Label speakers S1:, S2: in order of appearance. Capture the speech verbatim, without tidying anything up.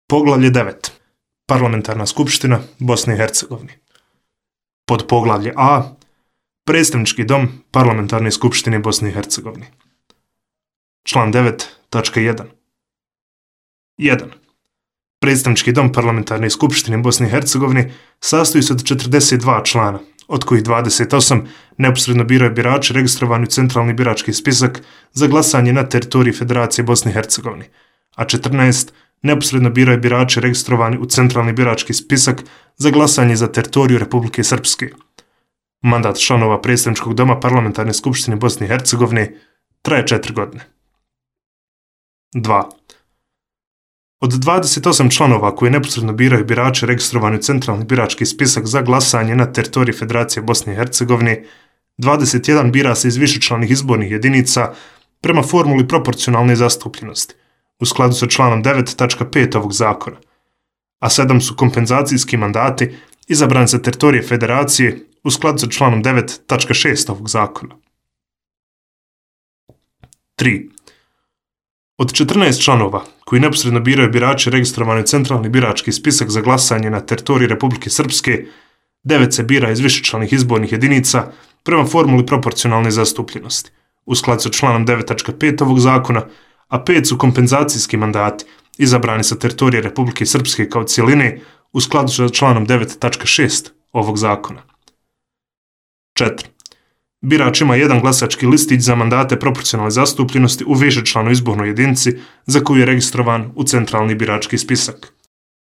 S1: Poglavlje devet. Parlamentarna skupština Bosne i Hercegovine. Pod poglavlje A. Predstavnički dom Parlamentarne skupštine Bosne i Hercegovine. Član devet tačka jedan. jedan. Predstavnički dom Parlamentarne skupštine Bosne i Hercegovine sastoji se od četrdeset dva člana, od kojih dvadeset osam neposredno biraju birači registrovani u centralni birački spisak za glasanje na teritoriji Federacije Bosne i Hercegovine, a četrnaest neposredno biraju birači registrovani u centralni birački spisak za glasanje za teritoriju Republike Srpske. Mandat članova Predstavničkog doma Parlamentarne skupštine Bosne i Hercegovine traje četiri godine. dva. Od dvadeset osam članova koji neposredno biraju birače registrovani u centralni birački spisak za glasanje na teritoriji Federacije Bosne i Hercegovine, dvadeset jedan bira se iz višečlanih izbornih jedinica prema formuli proporcionalne zastupljenosti, u skladu sa članom devet tačka pet ovog zakona, a sedam su kompenzacijski mandati izabrani sa teritorije Federacije u skladu sa članom devet tačka šest ovog zakona. tri. Od četrnaest članova koji neposredno biraju birači registrovani u centralni birački spisak za glasanje na teritoriji Republike Srpske, devet se bira iz višečlanih izbornih jedinica prema formuli proporcionalne zastupljenosti, u skladu sa članom devet tačka pet ovog zakona, a pet su kompenzacijski mandati izabrani sa teritorije Republike Srpske kao cijeline u skladu sa članom devet tačka šest ovog zakona. četiri. Birač ima jedan glasački listić za mandate proporcionalne zastupljenosti u višečlanoj izbornoj jedinici za koju je registrovan u centralni birački spisak.